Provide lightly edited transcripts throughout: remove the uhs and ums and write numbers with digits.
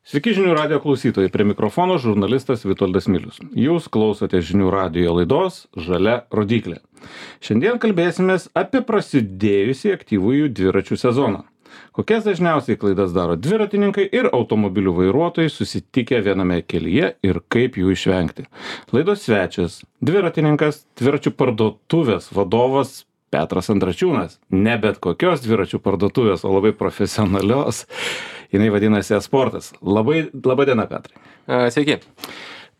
Sveiki žinių radio klausytojai, prie mikrofono žurnalistas Vitoldas Milius. Jūs klausote žinių radio laidos Žalia rodyklė. Šiandien kalbėsimės apie prasidėjusį aktyvųjų dviračių sezoną. Kokias dažniausiai klaidas daro dviratininkai ir automobilių vairuotojai susitikę viename kelyje ir kaip jų išvengti. Laidos svečias - dviratininkas, dviračių parduotuvės vadovas Petras Andrašiūnas. Ne bet kokios dviračių parduotuvės, o labai profesionalios. Jinai vadinasi esportas. Laba diena, Petrai. Sveiki.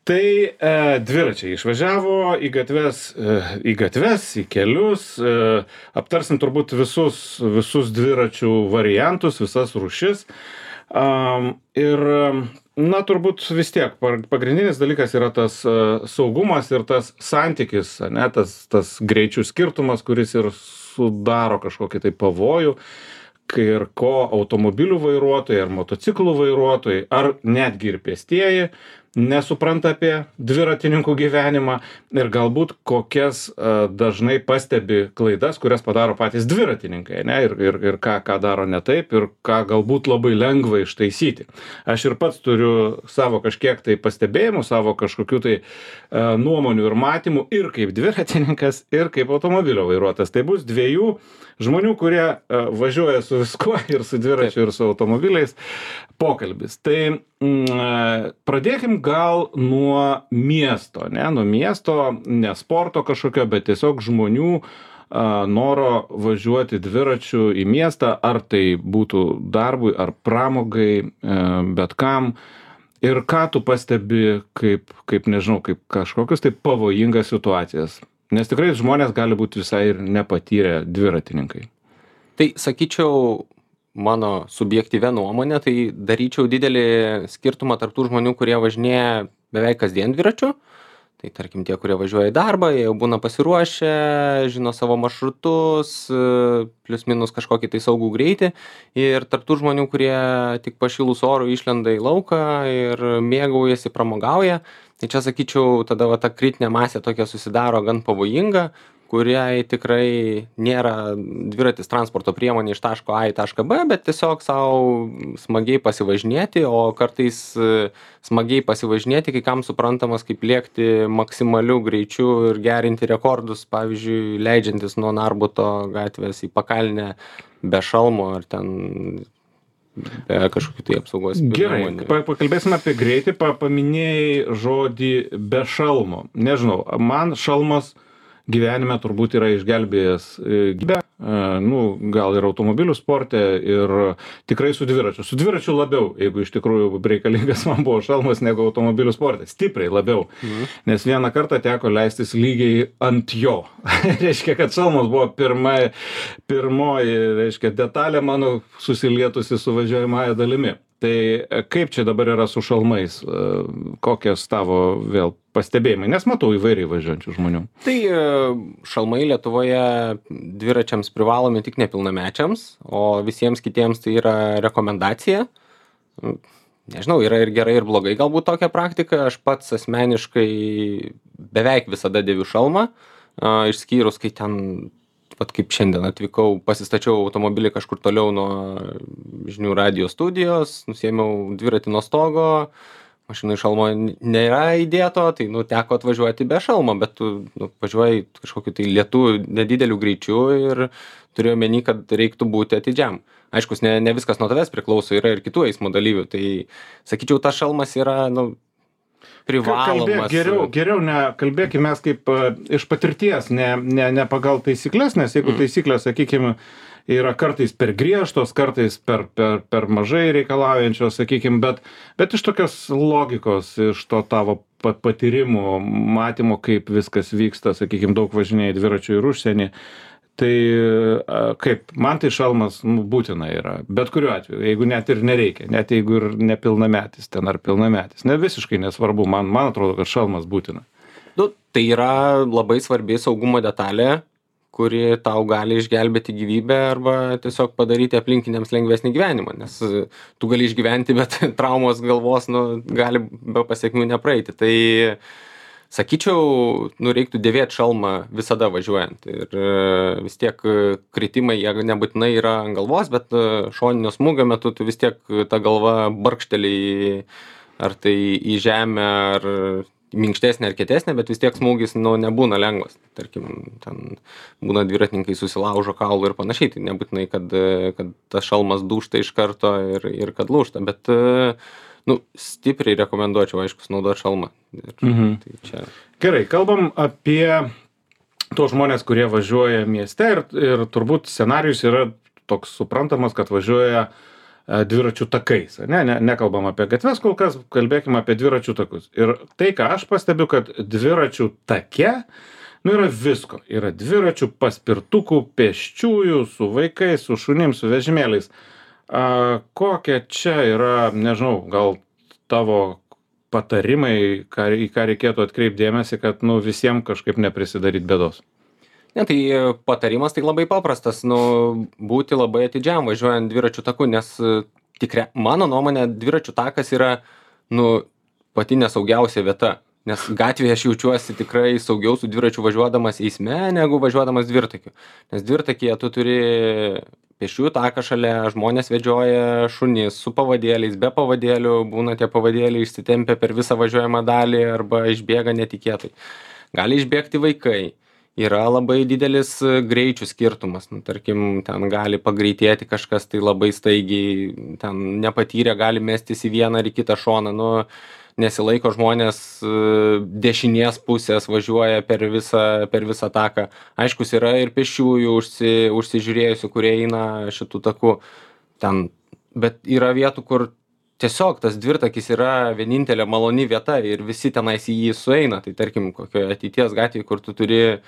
Tai dviračiai išvažiavo į gatves, į kelius. Aptarsim turbūt visus dviračių variantus, visas rūšis. Na, turbūt vis tiek pagrindinis dalykas yra tas saugumas ir tas santykis, ne, tas greičių skirtumas, kuris ir sudaro kažkokį tai pavojų, ir ko automobilių vairuotojai ar motociklų vairuotojai, ar netgi ir pėstieji nesupranta apie dviratininkų gyvenimą ir galbūt kokias dažnai pastebi klaidas, kurias padaro patys dviratininkai, ne, ir ką daro ne taip ir ką galbūt labai lengva ištaisyti. Aš ir pats turiu savo kažkiek tai pastebėjimų, savo kažkokių tai nuomonių ir matymų ir kaip dviratininkas, ir kaip automobilio vairuotojas. Tai bus dviejų žmonių, kurie važiuoja su viskuo, ir su dviračiu, ir su automobiliais pokalbis. Tai pradėkim gal nuo miesto, ne sporto kažkokio, bet tiesiog žmonių noro važiuoti dviračiu į miestą, ar tai būtų darbui, ar pramogai, bet kam. Ir ką tu pastebi kaip nežinau, kaip kažkokius tai pavojingas situacijas. Nes tikrai žmonės gali būti visai ir nepatyrę dviratininkai. Tai sakyčiau, mano subjektyvia nuomonė, tai daryčiau didelį skirtumą tarp tų žmonių, kurie važinėja beveik kasdien dviračiu. Tai tarkim tie, kurie važiuoja į darbą, jie jau būna pasiruošę, žino savo maršrutus, plius minus kažkokį tai saugų greitį. Ir tarp tų žmonių, kurie tik pašilus orų išlenda į lauką ir mėgaujasi, pramogauja. Tai čia sakyčiau, tada va, ta kritinė masė tokia susidaro gan pavojinga, kuriai tikrai nėra dviratis transporto priemonė iš taško A į tašką B, bet tiesiog savo smagiai pasivažinėti, o kartais smagiai pasivažinėti, kai kam suprantamas kaip lėkti maksimaliu greičiu ir gerinti rekordus, pavyzdžiui, leidžiantis nuo Narbuto gatvės į Pakalnę be šalmo ar ten be kažkokių tai apsaugos priemonių. Gerai, pakalbėsime apie greitį, paminėjai žodį be šalmo. Nežinau, man šalmas gyvenime turbūt yra išgelbėjęs gyvybę, gal ir automobilių sporte, ir tikrai su dviračiu. Su dviračiu labiau, jeigu iš tikrųjų reikalingas man buvo šalmas negu automobilių sporte. Stipriai labiau. Nes vieną kartą teko leistis lygiai ant jo. Reiškia, kad šalmas buvo pirmoji, reiškia, detalė mano susilietusi su važiuojamąja dalimi. Tai kaip čia dabar yra su šalmais? Kokios tavo vėl pastebėjimai? Nes matau įvairiai važiuojančių žmonių. Tai šalmai Lietuvoje dviračiams privalomi tik nepilnamečiams, o visiems kitiems tai yra rekomendacija. Nežinau, yra ir gerai, ir blogai galbūt tokia praktika. Aš pats asmeniškai beveik visada dėviu šalmą, išskyrus, kai ten pat kaip šiandien atvykau, pasistačiau automobilį kažkur toliau nuo žinių radio studijos, nusiėmiau dviratį nuo stogo, mašinai šalmo nėra įdėto, tai teko atvažiuoti be šalmo, bet tu važiuoji kažkokiu tai lėtu nedideliu greičiu ir turiu omeny, kad reiktų būti atidžiam. Aiškus, ne viskas nuo tavęs priklauso, yra ir kitų eismo dalyvių, tai sakyčiau, tas šalmas yra, privalomas. Geriau kalbėkime mes kaip iš patirties, ne pagal taisyklės, nes jeigu taisyklės, sakykime, yra kartais per griežtos, kartais per mažai reikalaujančios, sakykime, bet iš tokios logikos, iš to tavo patyrimų, matymo, kaip viskas vyksta, sakykime, daug važinėjai dviračių ir užsienį. Tai kaip, man tai šalmas būtina yra, bet kuriuo atveju, jeigu net ir nereikia, net jeigu ir nepilnametis ten ar pilnametis, ne visiškai nesvarbu, man atrodo, kad šalmas būtina. Tai yra labai svarbi saugumo detalė, kuri tau gali išgelbėti gyvybę arba tiesiog padaryti aplinkiniams lengvesnį gyvenimą, nes tu gali išgyventi, bet traumos galvos gali be pasiekmių nepraeiti. Tai Sakyčiau, nu, reiktų dėvėt šalmą visada važiuojant. Ir vis tiek kritimai, jie nebūtinai yra ant galvos, bet šoninio smūgio metu tu vis tiek ta galva barkšteli ar tai į žemę, ar minkštesnė ar kietesnė, bet vis tiek smūgis, nu, nebūna lengvas. Tarkim, ten būna dviratininkai susilaužo kaulų ir panašiai, tai nebūtinai, kad tas šalmas dūžta iš karto ir kad lūžta, bet nu, stipriai rekomenduočiau, aišku, naudoti šalmą. Tai čia... Gerai, kalbam apie tos žmonės, kurie važiuoja mieste ir turbūt scenarijus yra toks suprantamas, kad važiuoja dviračių takais. Nekalbam apie gatves kol kas, kalbėkime apie dviračių takus. Ir tai, ką aš pastebiu, kad dviračių take, nu, yra visko. Yra dviračių, paspirtukų, pėsčiųjų, su vaikais, su šunim, su vežimėliais. Kokie čia yra, nežinau, gal tavo patarimai, į ką reikėtų atkreipdėmėsi, kad, nu, visiems kažkaip neprisidaryt bėdos? Ne, tai patarimas tai labai paprastas, nu, būti labai atidžiam važiuojant dviračių taku, nes mano nuomonė, dviračių takas yra, nu, pati nesaugiausia vieta, nes gatvėje aš jaučiuosi tikrai saugiau su dviračiu važiuodamas eisme, negu važiuodamas dvirtakiu. Nes dvirtakyje tu turi pėsčiųjų taką šalia, žmonės vedžioja šunis su pavadėliais, be pavadėlių, būna tie pavadėliai išsitempia per visą važiuojamą dalį arba išbėga netikėtai. Gali išbėgti vaikai. Yra labai didelis greičių skirtumas, nu, tarkim, ten gali pagreitėti kažkas tai labai staigiai, ten nepatyrę gali mestis į vieną ar į kitą šoną, nu, nesilaiko žmonės dešinės pusės, važiuoja per visą taką. Aiškus, yra ir pėsčiųjų užsižiūrėjusių, kurie eina šitų takų ten, bet yra vietų, kur tiesiog tas dvirtakis yra vienintelė maloni vieta ir visi tenais į jį sueina, tai tarkim, kokioje ateities gatvėje, kur tu turi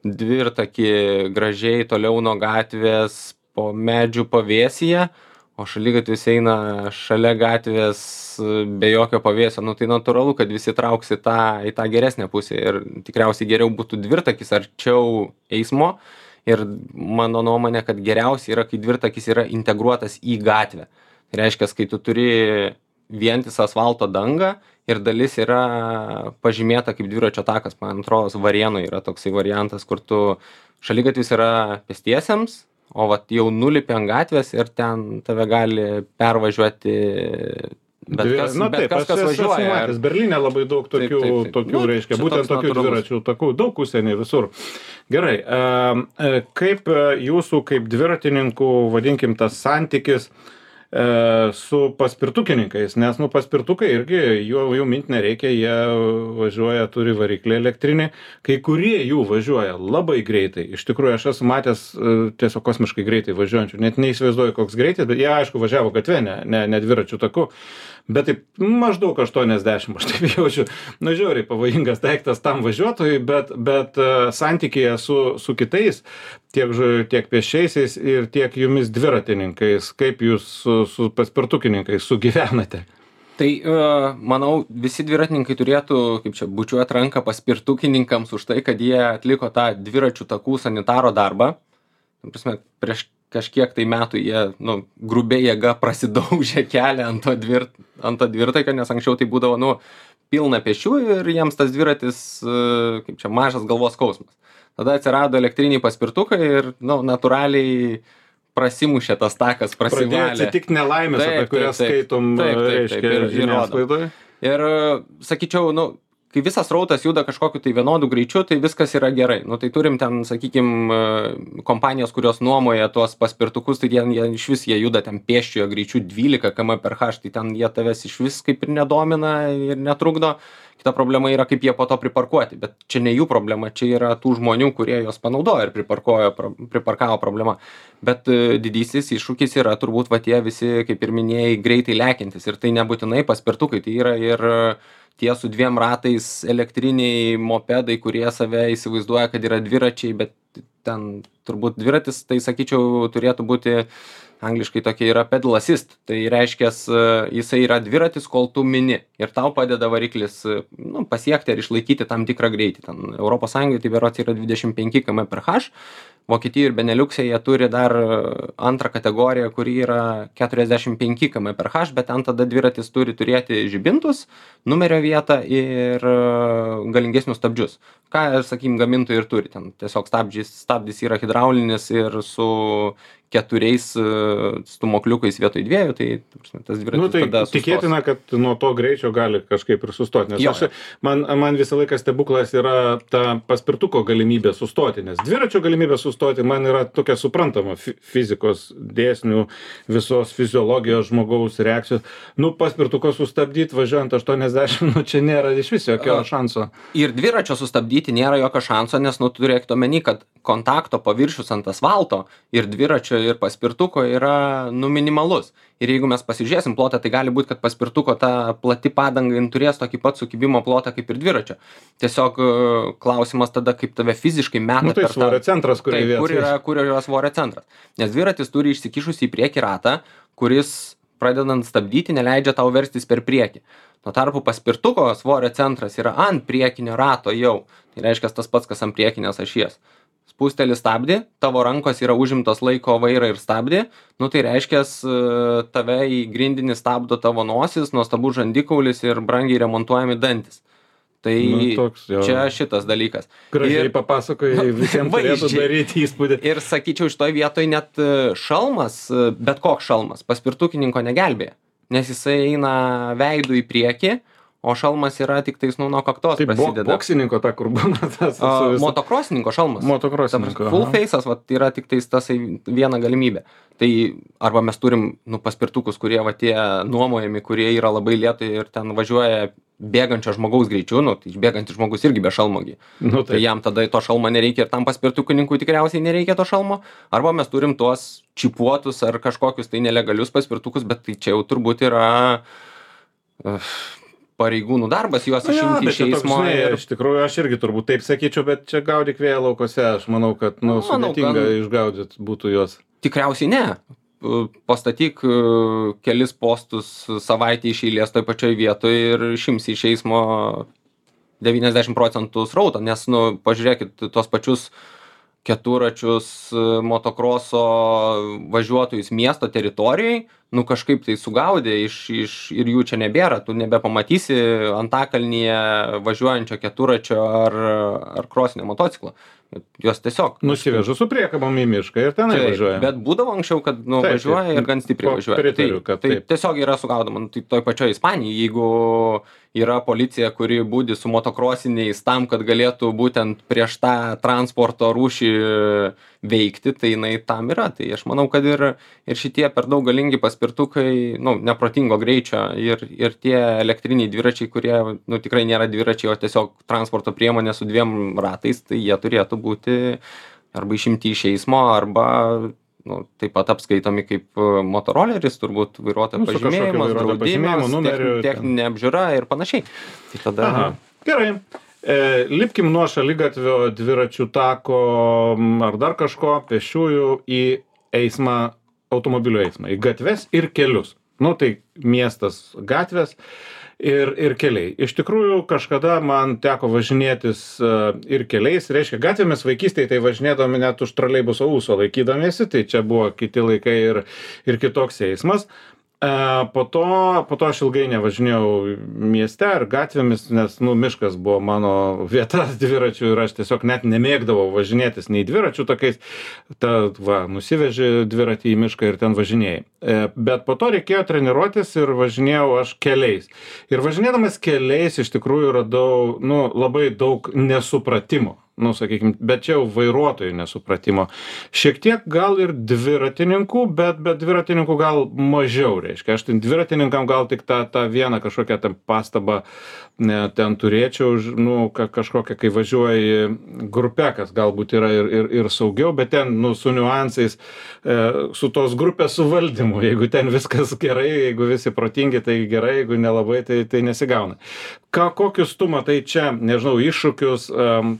dvirtakį gražiai toliau nuo gatvės po medžių pavėsyje, o šaligatvis eina šalia gatvės be jokio pavėsio, nu tai natūralu, kad visi trauks į tą geresnę pusę ir tikriausiai geriau būtų dvirtakis arčiau eismo ir mano nuomonė, kad geriausia yra, kai dvirtakis yra integruotas į gatvę. Tai reiškia, kai tu turi vientisą asfalto dangą ir dalis yra pažymėta kaip dviračio takas, man atrodo, Varėnoje yra toksai variantas, kur tu šaligatvis yra pėstiesiems, o vat jau nulipi ant gatvės ir ten tave gali pervažiuoti bet kas važiuoja. Berlyne labai daug tokių reiškia, būtent tokių dviračių takų, daug užsienį visur. Gerai, kaip jūsų kaip dviratininkų, vadinkim, tas santykis su paspirtukininkais, nes, nu, paspirtukai irgi, jų mint nereikia, jie važiuoja, turi variklį elektrinį, kai kurie jų važiuoja labai greitai, iš tikrųjų aš esu matęs tiesiog kosmiškai greitai važiuojančių, net neįsivaizduoju koks greitis, bet jie aišku važiavo gatve, ne dviračių taku, bet taip maždaug 80, aš taip jaučiu, nu, žiauriai pavojingas daiktas tam važiuotojui, bet santykėje su kitais, tiek pėsčiaisiais ir tiek jumis dviratininkais, kaip jūs su paspirtukininkais sugyvenate? Tai, manau, visi dviratininkai turėtų, kaip čia, bučiuoti ranką paspirtukininkams už tai, kad jie atliko tą dviračių takų sanitaro darbą. Prasme, prieš kažkiek tai metų jie, nu, grubiai jėga prasidaužė kelią ant to dvirtakio, nes anksčiau tai būdavo, nu, pilna pėsčiųjų ir jiems tas dviratis, kaip čia, mažas galvos skausmas. Tada atsirado elektriniai paspirtukai ir, nu, natūraliai prasimušė tas takas, prasivalė. Pradėjo atsitikti nelaimės, apie kurias skaitom, reiškia, žiniasklaidoje. Ir, sakyčiau, nu, kai visas srautas juda kažkokiu tai vienodų greičiu, tai viskas yra gerai. Nu, tai turim ten, sakykim, kompanijos, kurios nuomoja tuos paspirtukus, tai jie iš vis jie juda ten pėsčiojo greičiu 12 km/h, tai ten jie tavęs iš vis kaip ir nedomina ir netrukdo. Kita problema yra, kaip jie po to priparkuoti, bet čia ne jų problema, čia yra tų žmonių, kurie juos panaudoja ir priparkavo problema. Bet didysis iššūkis yra turbūt va tie visi, kaip ir minėjai, greitai lekiantis ir tai nebūtinai paspirtukai, tai yra ir tie su 2 ratais elektriniai mopedai, kurie save įsivaizduoja, kad yra dviračiai, bet ten turbūt dviratis, tai sakyčiau, turėtų būti angliškai tokia yra pedal assist, tai reiškia, jisai yra dviratis, kol tu mini ir tau padeda variklis, nu, pasiekti ar išlaikyti tam tikrą greitį. Ten Europos Sąjungai tai berods yra 25 km/h, Vokietijoj ir Beneliukse jie turi dar antrą kategoriją, kuri yra 45 km/h, bet ten tada dviratis turi turėti žibintus, numerio vietą ir galingesnius stabdžius. Ką, sakykim, gamintojai ir turi. Ten tiesiog stabdis yra hidraulinis ir su 4 stūmokliukais vietoj 2, tai ta prasme, tas dviratis Tai tada sustos. tikėtina, kad nuo to greičio gali kažkaip ir sustoti. Nes Jo. man visą laiką stebuklas yra ta paspirtuko galimybė sustoti, nes dviračio galimybė sustoti man yra tokia suprantama fizikos dėsnių, visos fiziologijos žmogaus reakcijos. Paspirtuko sustabdyti važiuojant 80, čia nėra iš viso jokio šanso. Ir dviračio sustabdyti nėra jokio šanso, nes turėkit omeny, kad kontakto paviršius ant asfalto ir dviračio ir paspirtuko yra minimalus. Ir jeigu mes pasižiūrėsim plotą, tai gali būti, kad paspirtuko ta plati padanga turės tokį pat sukibimo plotą kaip ir dviračio. Tiesiog klausimas tada, kaip tave fiziškai meta Tai svorio centras, kur yra svorio centras. Nes dviratis turi išsikišusi į priekį ratą, kuris pradedant stabdyti neleidžia tau verstis per priekį. Tuo tarpu paspirtuko svorio centras yra ant priekinio rato jau. Tai reiškia tas pats, kas ant priekinės ašies. Spusteli stabdį, tavo rankos yra užimtos laiko vairą ir stabdį, tai reiškia tave į grindinį stabdo tavo nosis, nuostabus žandikaulis ir brangiai remontuojami dantis. Tai čia šitas dalykas. Gražiai papasakojai, visiems turėtų daryti įspūdį. Ir sakyčiau, šitoj vietoj net šalmas, bet koks šalmas, paspirtukininko negelbėja, nes jisai eina veidų į priekį, o šalmas yra tik tais nuo kaktos prasideda. Boksininko ta, kur būna tas. Motokrosininko šalmas. Motokrosininko. Full face'as yra tik tais tas viena galimybė. Tai arba mes turim paspirtukus, kurie tie nuomojami, kurie yra labai lėtai ir ten važiuoja bėgančio žmogaus greičiu, tai bėgantis žmogus irgi be šalmogi. Tai jam tada to šalmo nereikia ir tam paspirtukininkui tikriausiai nereikia to šalmo. Arba mes turim tuos čipuotus ar kažkokius tai nelegalius paspirtukus, bet tai čia jau turbūt yra pareigūnų darbas juos išimti iš eismo. Iš tikrųjų, aš irgi turbūt taip sakyčiau, bet čia gaudyk vėjo laukose. Aš manau, kad sudėtinga išgaudyti būtų juos. Tikriausiai ne. Pastatyk kelis postus savaitę iš eilės toj pačioj vietoj ir išimsi iš eismo 90% srauto, nes, pažiūrėkit, tos pačius keturračius motokroso važiuotojus miesto teritorijai, kažkaip tai sugaudė ir jų čia nebėra, tu nebepamatysi antakalnyje važiuojančio keturračio ar krosinio motociklo. Jos tiesiog nusivežu su priekabom į mišką ir tenai važiuoja. Bet būdavo anksčiau, kad važiuoja ir gan stipriai važiuoja. Tai tiesiog yra sugaudoma. Tai toj pačioj Ispanijai, jeigu yra policija, kuri budi su motokrosiniais tam, kad galėtų būtent prieš tą transporto rūšį veikti, tai jinai tam yra. Tai aš manau, kad ir šitie per daug galingi paspirtukai, neprotingo greičio ir tie elektriniai dviračiai, kurie tikrai nėra dviračiai, o tiesiog transporto priemonė su 2 ratais, tai jie turėtų būti arba išimti iš eismo, arba taip pat apskaitomi kaip motoroleris, turbūt vairuotojo pažymėjimas, draudimas, techninė apžiūra ir panašiai. Tai tada... Gerai. Lipkim nuo šaligatvio, dviračių tako ar dar kažko, pėsčiųjų į eismą, automobilių eismą, į gatves ir kelius. Tai miestas gatvės ir keliai. Iš tikrųjų, kažkada man teko važinėtis ir keliais, reiškia, gatvėmis vaikystėje tai važinėdami net už troleibuso ūso laikydamiesi, tai čia buvo kiti laikai ir kitoks eismas. Po to aš ilgai nevažinėjau mieste ar gatvėmis, nes miškas buvo mano vieta dviračių ir aš tiesiog net nemėgdavau važinėtis nei dviračių tokiais. Nusiveži dviratį į mišką ir ten važinėjai. Bet po to reikėjo treniruotis ir važinėjau aš keliais. Ir važinėdamas keliais iš tikrųjų radau labai daug nesupratimo. Sakykime, bet čia jau vairuotojų nesupratimo. Šiek tiek gal ir dviratininkų, bet dviratininkų gal mažiau, reiškia. Aš dviratininkam gal tik tą vieną kažkokią ten pastabą ten turėčiau, kažkokią, kai važiuoji grupe, kas galbūt yra ir saugiau, bet ten, su niuansais, su tos grupės suvaldymu. Jeigu ten viskas gerai, jeigu visi protingi, tai gerai, jeigu nelabai, tai nesigauna. Kokius tu matai čia, nežinau, iššūkius,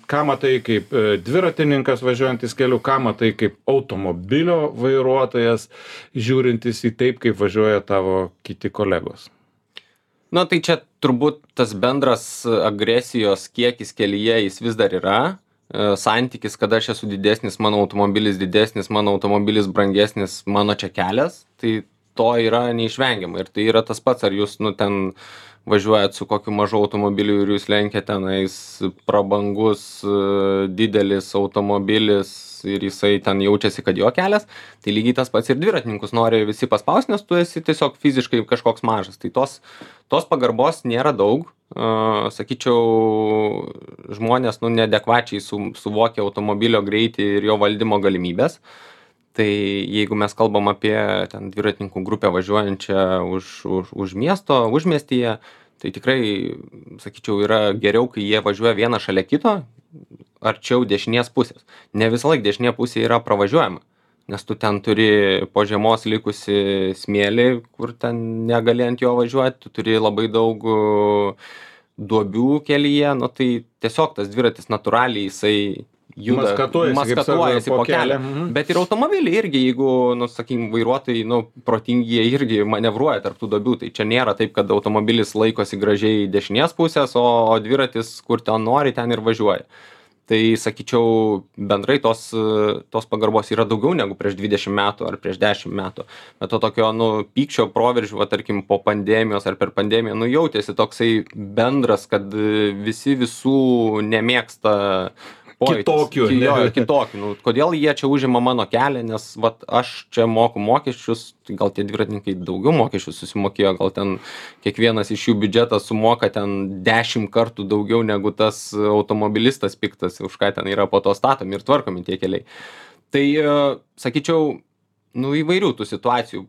ką matai kaip dviratininkas važiuojantis keliu, ką matai kaip automobilio vairuotojas, žiūrintis į taip, kaip važiuoja tavo kiti kolegos? Tai čia turbūt tas bendras agresijos kiekis kelyje jis vis dar yra. santykis, kad aš esu didesnis, mano automobilis didesnis, mano automobilis brangesnis, mano čia kelias, tai to yra neišvengiama. Ir tai yra tas pats, ar jūs, nu, ten važiuojat su kokiu mažu automobiliu ir jūs lenkiat tenais prabangus, didelis automobilis ir jisai ten jaučiasi, kad jo kelias, tai lygiai tas pats ir dviratininkus nori visi paspaust, nes tu esi tiesiog fiziškai kažkoks mažas. Tai tos pagarbos nėra daug. Sakyčiau, žmonės, nu, neadekvačiai suvokia automobilio greitį ir jo valdymo galimybės. Tai jeigu mes kalbam apie ten dviratininkų grupę važiuojančią už miesto, užmiestyje, tai tikrai, sakyčiau, yra geriau, kai jie važiuoja vieną šalia kito, arčiau dešinės pusės. Ne visą laiką dešinė pusė yra pravažiuojama, nes tu ten turi po žiemos likusi smėlį, kur ten negali ant jo važiuoti, tu turi labai daug duobių kelyje, nu tai tiesiog tas dviratis natūraliai jisai juda, maskatuojasi po kelią. Bet ir automobiliai irgi, jeigu, nu, sakykim, vairuotojai, nu, protingi, jie irgi manevruoja tarp tų duobių, tai čia nėra taip, kad automobilis laikosi gražiai dešinės pusės, o dviratis, kur ten nori, ten ir važiuoja. Tai, sakyčiau, bendrai tos pagarbos yra daugiau negu prieš 20 metų ar prieš 10 metų. Bet to tokio, nu, pykčio proveržių, va, tarkim, po pandemijos ar per pandemiją, nu, jautėsi toksai bendras, kad visi visų nemėgsta kitokių. Nu, kodėl jie čia užima mano kelią, nes vat, aš čia moku mokesčius, tai gal tie dviratininkai daugiau mokesčių susimokėjo, gal ten kiekvienas iš jų biudžetas sumoka ten 10 kartų daugiau negu tas automobilistas piktas, už ką ten yra po to statomi ir tvarkomi tie keliai. Tai, sakyčiau, nu, įvairių tų situacijų.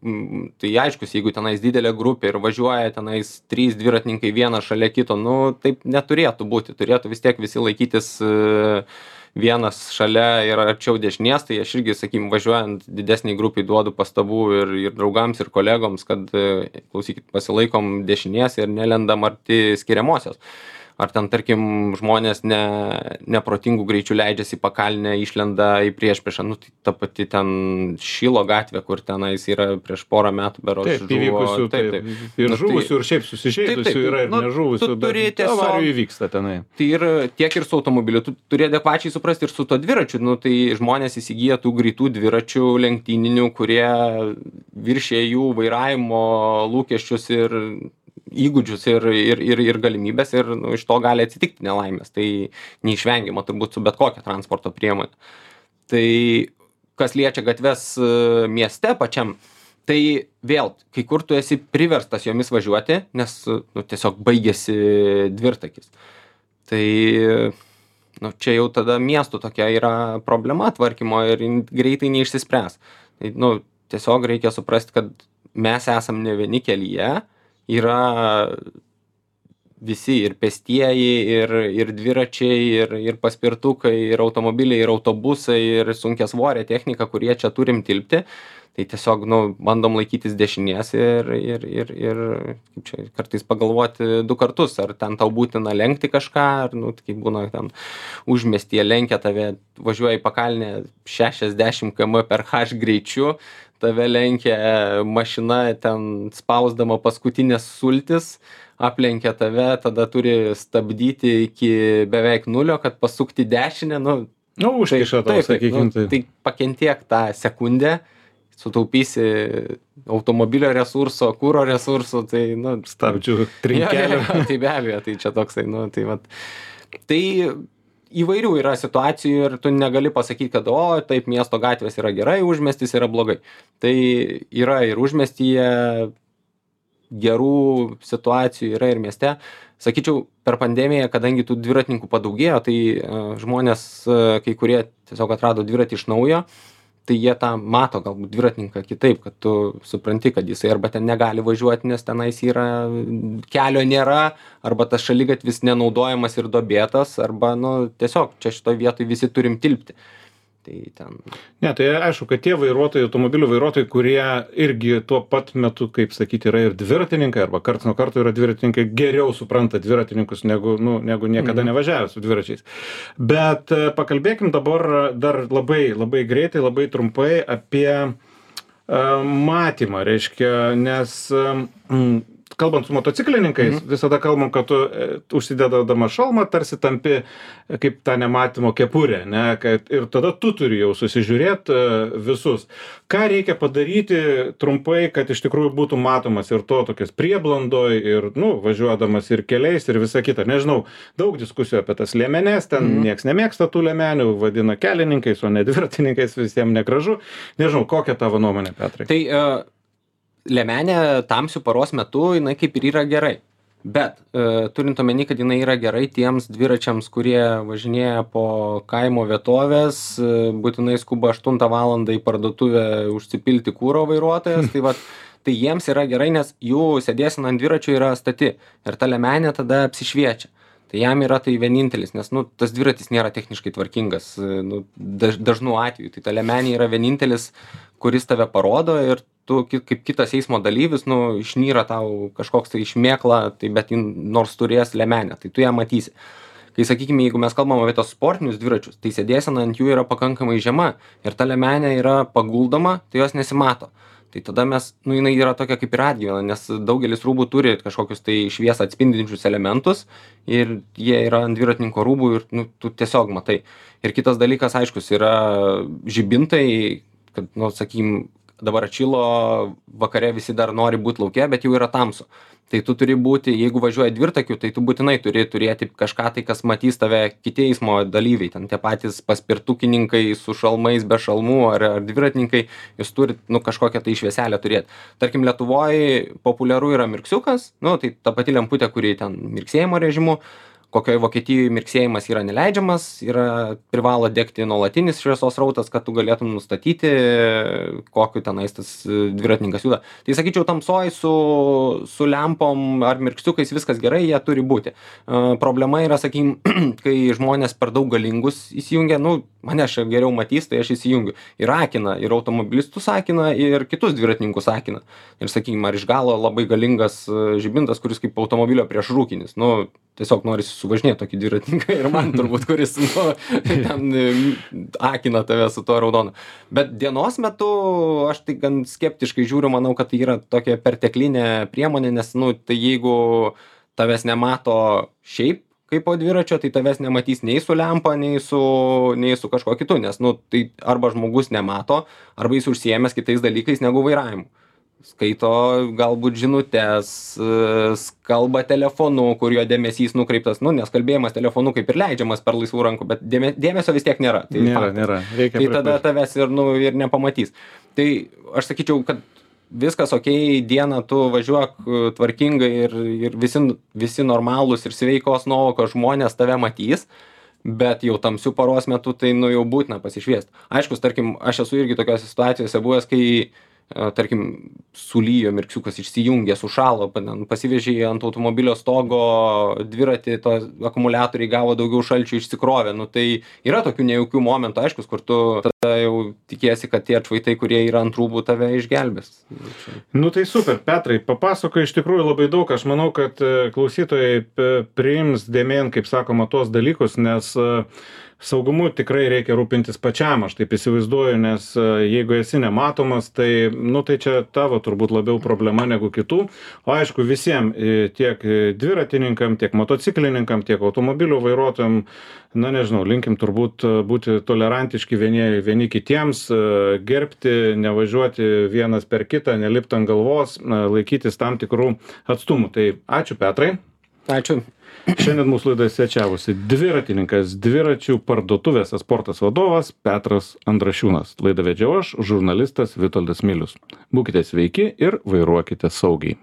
Tai aiškus, jeigu tenais didelė grupė ir važiuoja tenais 3 dviratininkai vienas šalia kito, nu, taip neturėtų būti. Turėtų vis tiek visi laikytis vienas šalia ir arčiau dešinės, tai aš irgi, sakykim, važiuojant didesniai grupiai duodu pastabų ir draugams, ir kolegoms, kad, klausykit, pasilaikom dešinės ir nelendam arti skiriamosios. Ar ten, tarkim, žmonės neprotingų greičių leidžiasi į pakalnę, išlenda į priešpriešą, nu, tai ta pati ten Šilo gatvė, kur tenais yra prieš porą metų berods žuvo. Taip, įvykusių, taip. Ir žuvusių, ir šiaip susižeidusių yra, ir nežuvusių, bet avarijų įvyksta tenai. Tai ir tiek ir su automobiliu, tu turi adekvačiai suprasti ir su to dviračiu, nu, tai žmonės įsigyja tų greitų dviračių lenktyninių, kurie viršė jų vairavimo lūkesčius ir įgūdžius ir galimybės ir, nu, iš to gali atsitikti nelaimės. Tai neišvengiama turbūt su bet kokia transporto priemonė. Tai kas liečia gatves mieste pačiam, tai vėl, kai kur tu esi priverstas jomis važiuoti, nes, nu, tiesiog baigėsi dvirtakis. Tai, nu, čia jau tada miestų tokia yra problema tvarkymo ir greitai neišsispręs. Tai, nu, tiesiog reikia suprasti, kad mes esam ne vieni kelyje, yra visi ir pėstieji, ir dviračiai, ir paspirtukai, ir automobiliai, ir autobusai, ir sunkiasvorė technika, kurie čia turim tilpti. Tai tiesiog, nu, bandom laikytis dešinės ir kaip čia, kartais pagalvoti 2 kartus, ar ten tau būtina lenkti kažką, ar, nu, kaip būna ten užmiestyje lenkia tave, važiuoja į pakalnę 60 km/h greičiu, tave lenkia mašina ten spausdama paskutinės sultis, aplenkia tave, tada turi stabdyti iki beveik 0, kad pasukti dešinę, nu, užkiša tau, sakykim. Tai pakentiek tą sekundę, sutaupysi automobilio resurso, kuro resurso, tai, nu, stabdžių trinkelio. Tai be abejo, tai čia toksai, nu, tai vat. Tai įvairių yra situacijų ir tu negali pasakyti, kad, o, taip, miesto gatvės yra gerai, užmiestis yra blogai. Tai yra ir užmiestyje gerų situacijų, yra ir mieste. Sakyčiau, per pandemiją, kadangi tų dviratininkų padaugėjo, tai žmonės, kai kurie tiesiog atrado dviratį iš naujo, tai jie tą mato galbūt dviratininką kitaip, kad tu supranti, kad jisai arba ten negali važiuoti, nes tenais yra, kelio nėra, arba tas šaligatvis nenaudojamas ir duobėtas, arba, nu, tiesiog čia šitoj vietoj visi turim tilpti. Tai ten. Ne, tai aišku, kad tie vairuotojai, automobilių vairuotojai, kurie irgi tuo pat metu, kaip sakyti, yra ir dviratininkai, arba karts nuo karto yra dviratininkai, geriau supranta dviratininkus negu niekada nevažiavę su dviračiais. Bet pakalbėkim dabar dar labai greitai, labai trumpai apie matymą, reiškia, nes kalbant su motociklininkais, visada kalbam, kad tu užsidedama šalmą tarsi tampi kaip tą nematymo kepurę, ne, ir tada tu turi jau susižiūrėti visus. Ką reikia padaryti trumpai, kad iš tikrųjų būtų matomas ir to tokias prieblandoj, ir, važiuodamas ir keliais, ir visa kita. Nežinau, daug diskusijų apie tas liemenes, ten nieks nemėgsta tų liemenių, vadina kelininkais, o ne dviratininkais, visiems negražu. Nežinau, kokia tavo nuomonė, Petrai? Tai liemenė tamsių paros metu, jinai kaip ir yra gerai. Bet turint omeny, kad jinai yra gerai tiems dviračiams, kurie važinėja po kaimo vietovės, būtinai skuba 8 valandą į parduotuvę užsipilti kuro vairuotojas, tai jiems yra gerai, nes jų sėdėsena ant dviračio yra stati ir ta liemenė tada apsišviečia. Tai jam yra tai vienintelis, nes tas dviratis nėra techniškai tvarkingas dažnu atveju. Tai ta liemenė yra vienintelis, kuris tave parodo ir tu kaip kitas eismo dalyvis, išnyra tau kažkoks tai išmėkla, tai bet nors turės liemenę, tai tu ją matysi. Kai, sakykime, jeigu mes kalbam apie tos sportinius dviračius, tai sėdėsena ant jų yra pakankamai žema ir ta liemenė yra paguldoma, tai jos nesimato. Tai tada jinai yra tokia kaip ir atgyvena, nes daugelis rūbų turi kažkokius tai šviesą atspindinčius elementus ir jie yra ant dviratininko rūbų ir tu tiesiog matai. Ir kitas dalykas, aiškus, yra žibintai, kad, sakykim, dabar atšilo, vakare visi dar nori būti lauke, bet jau yra tamsu. Tai tu turi būti, jeigu važiuoji dvirtakiu, tai tu būtinai turi turėti kažką tai, kas matys tave kiti eismo dalyviai. Ten tie patys paspirtukininkai su šalmais, be šalmų ar dviratininkai, jūs turit kažkokią tai švieselę turėti. Tarkim, Lietuvoje populiaru yra mirksiukas, tai ta pati lemputė, kuri ten mirksėjimo režimu. Kokioje Vokietijoje mirksėjimas yra neleidžiamas, privalo degti nuolatinis šviesos srautas, kad tu galėtum nustatyti, kokiu tenais tas dviratininkas juda. Tai sakyčiau, tamsoj su lempom ar mirksiukais viskas gerai, jie turi būti. Problema yra, sakykim, kai žmonės per daug galingus įsijungia, mane čia geriau matys, tai aš įsijungiu. Ir akina, ir automobilistus akina, ir kitus dviratininkus akina. Ir, sakykim, ar iš galo labai galingas žibintas, kuris kaip automobilio priešrūkinis. Tiesiog norisi suvažinėti tokį dviratininką ir man turbūt, kuris ten akina tave su tuo raudonu. Bet dienos metu aš tai gan skeptiškai žiūriu, manau, kad tai yra tokia perteklinė priemonė, nes tai jeigu tavęs nemato šiaip kaip po dviračio, tai tavęs nematys nei su lempa, nei su kažkuo kitu, nes tai arba žmogus nemato, arba jis užsiėmęs kitais dalykais negu vairavimu. Skaito galbūt žinutes, kalba telefonu, kur jo dėmesys nukreiptas, nes kalbėjimas telefonu kaip ir leidžiamas per laisvų rankų, bet dėmesio vis tiek nėra. Tai nėra. Tai tada tavęs ir nepamatys. Tai aš sakyčiau, kad viskas okei, dieną tu važiuok tvarkingai ir visi normalūs ir sveikos nuovokos žmonės tave matys, bet jau tamsių paros metu tai jau būtina pasišviesti. Aiškus, tarkim, aš esu irgi tokiose situacijose buvęs, kai tarkim, sulyjo mirksiukas, išsijungė, sušalo, pasivežė ant automobilio stogo dviratį, to akumuliatoriai gavo daugiau šalčių, išsikrovė. Tai yra tokių nejaukių momentų, aiškus, kur tu tada jau tikėsi, kad tie atšvaitai, kurie yra ant rūbų, tave išgelbės. Tai super, Petrai, papasakoji iš tikrųjų labai daug. Aš manau, kad klausytojai priims dėmėn, kaip sakoma, tuos dalykus, nes saugumu tikrai reikia rūpintis pačiam, aš taip įsivaizduoju, nes jeigu esi nematomas, tai čia tavo turbūt labiau problema negu kitų. O aišku, visiems, tiek dviratininkam, tiek motociklininkam, tiek automobilių vairuotojam, linkim turbūt būti tolerantiški vieni kitiems, gerbti, nevažiuoti vienas per kitą, nelipti ant galvos, laikytis tam tikrų atstumų. Tai ačiū, Petrai. Ačiū. Šiandien mūsų laidoje svečiavosi dviratininkas, dviračių parduotuvės Esportas vadovas Petras Andrašiūnas. Laidą vedžiau aš, žurnalistas Vitoldas Milius. Būkite sveiki ir vairuokite saugiai.